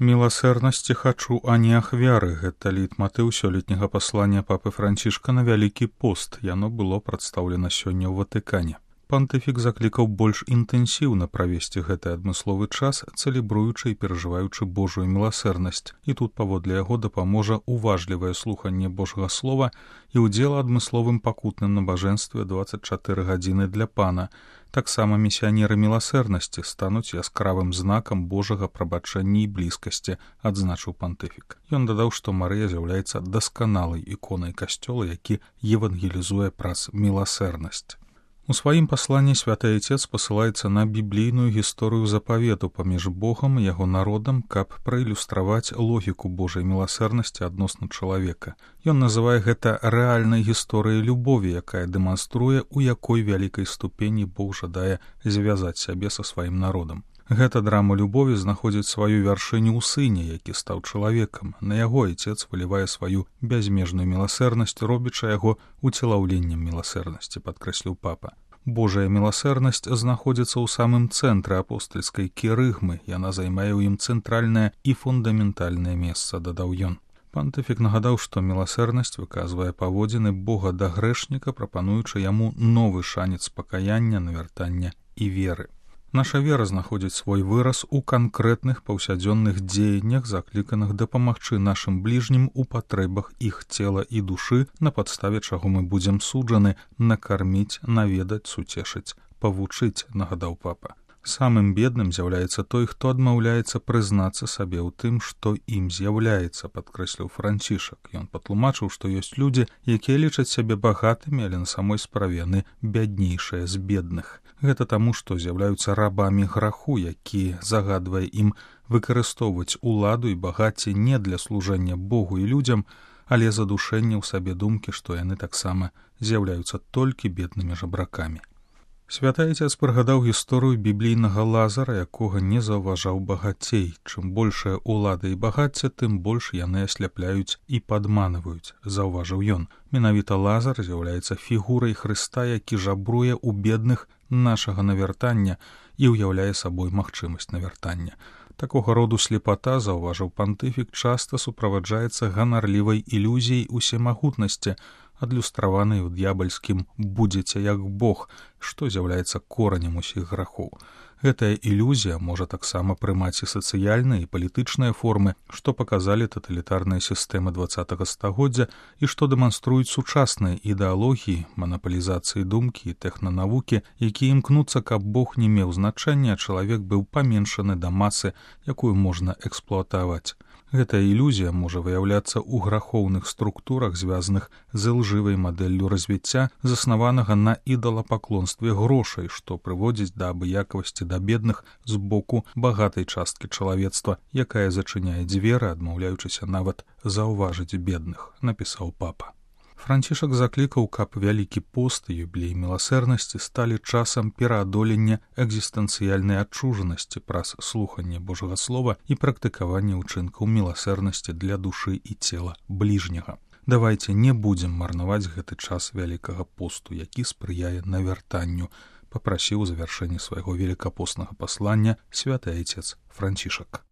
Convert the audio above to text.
Міласэрнасці хачу, а не ахвяры. Гэта лейтматыў сёлетняга паслання папы Францішка на Вялікі пост. Яно было прадстаўлена сёння ў Ватыкане. Пантыфік заклікаў больш інтэнсіўна правесці гэты адмысловы час, цэлебруючы і перажываючы Божую міласэрнасць. І тут паводле яго дапаможа уважлівае слуханне Божага слова і ўдзел адмысловым пакутным набажэнстве 24 гадзіны для Пана. Таксама місіянеры міласэрнасці стануць яскравым знакам Божага прабачэння і блізкасці, адзначыў пантыфік. Ён дадаў, што Марыя з'яўляецца дасканалай іконай касцёла, які евангелізуе праз міласэрнасць. У сваім пасланні святы Айцец пасылаецца на біблійную гісторыю запавету паміж Богам і яго народам, каб праілюстраваць логіку Божай міласэрнасці адносна чалавека. Ён называе гэта рэальнай гісторыяй любові, якая дэманструе, у якой вялікай ступені Бог жадае звязаць сябе са сваім народам. Гэта драма любові знаходзіць сваю вяршыню ў сыне, які стаў чалавекам. На яго Айцец вылівае сваю бязмежную міласэрнасць, робячы яго уцелаўленнем міласэрнасці, падкрэсліў папа. Божая міласэрнасць знаходзіцца ў самым цэнтры апостальскай кірыгмы, яна займае ў ім цэнтральнае і фундаментальнае месца, дадаў ён. Пантыфік нагадаў, што міласэрнасць выказвае паводзіны Бога да грэшніка, прапануючы яму новы шанец пакаяння, навяртання і веры. Наша вера знаходзіць свой выраз у канкрэтных паўсядзённых дзеяннях, закліканых дапамагчы нашым бліжнім у патрэбах іх цела і душы, на падставе чаго мы будзем суджаны, накарміць, наведаць, суцешыць, павучыць, нагадаў папа. Самым бедным з'яўляецца той, хто адмаўляецца прызнацца сабе ў тым, што ім з'яўляецца, падкрэсліў Францішак. Ён патлумачыў, што ёсць людзі, якія лічаць сябе багатымі, але на самой справе яны бяднейшыя з бедных. Гэта таму, што з'яўляюцца рабамі граху, які загадвае ім выкарыстоўваць уладу і багацце не для служэння Богу і людзям, але задушэння ў сабе думкі, што яны таксама з'яўляюцца толькі беднымі жабракамі. Святы Айцец прыгадаў гісторыю біблійнага Лазара, якога не заўважаў багацей. Чым большая ўлада і багацце, тым больш яны асляпляюць і падманваюць, заўважыў ён. Менавіта Лазар з'яўляецца фігурай Хрыста, які жабруе ў бедных нашага навяртання і ўяўляе сабой магчымасць навяртання. Такога роду слепата, заўважыў пантыфік, часта суправаджаецца ганарлівай ілюзіяй усемагутнасці, адлюстраванай у д'ябальскім «будзеце як Бог», што з'яўляецца коранем усіх грахоў. Гэтая ілюзія можа таксама прымаць і сацыяльныя і палітычныя формы, што паказалі таталітарныя сістэмы 20-го стагоддзя і што дэманструюць сучасныя ідэалогіі, манапалізацыі думкі і тэхнанавукі, якія імкнуцца, каб Бог не меў значэння, а чалавек быў паменшаны да масы, якую можна эксплуатаваць. Гэтая ілюзія можа выяўляцца ў грахоўных структурах, звязаных з ілжывай мадэллю развіцця, заснаванага на ідалапаклонстве грошай, што прыводзіць да абыякавасці да бедных з боку багатай часткі чалавецтва, якая зачыняе дзверы, адмаўляючыся нават заўважыць бедных, напісаў папа. Францішак заклікаў, каб Вялікі пост і юбілей міласэрнасці сталі часам пераадолення экзістэнцыяльнай адчужанасці праз слуханне Божага слова і практыкаванне ўчынкаў міласэрнасці для душы і цела бліжняга. Давайце не будзем марнаваць гэты час Вялікага посту, які спрыяе навяртанню, папрасіў у завяршэнні свайго велікапостнага паслання святы Айцец Францішак.